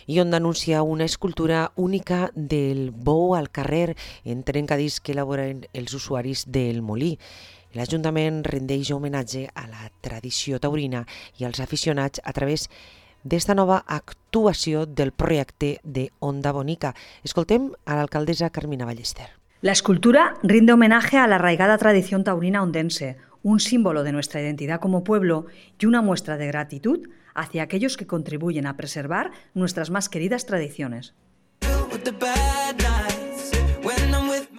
I on denuncia una escultura única del bou al carrer en trencadís que elaboren els usuaris del molí. L'Ajuntament rendeix homenatge a la tradició taurina i als aficionats a través d'esta nova actuació del projecte de Onda Bonica. Escoltem a l'alcaldessa Carmina Ballester. La escultura rinde homenaje a la arraigada tradición taurina ondense, un símbolo de nuestra identidad como pueblo y una muestra de gratitud hacia aquellos que contribuyen a preservar nuestras más queridas tradiciones.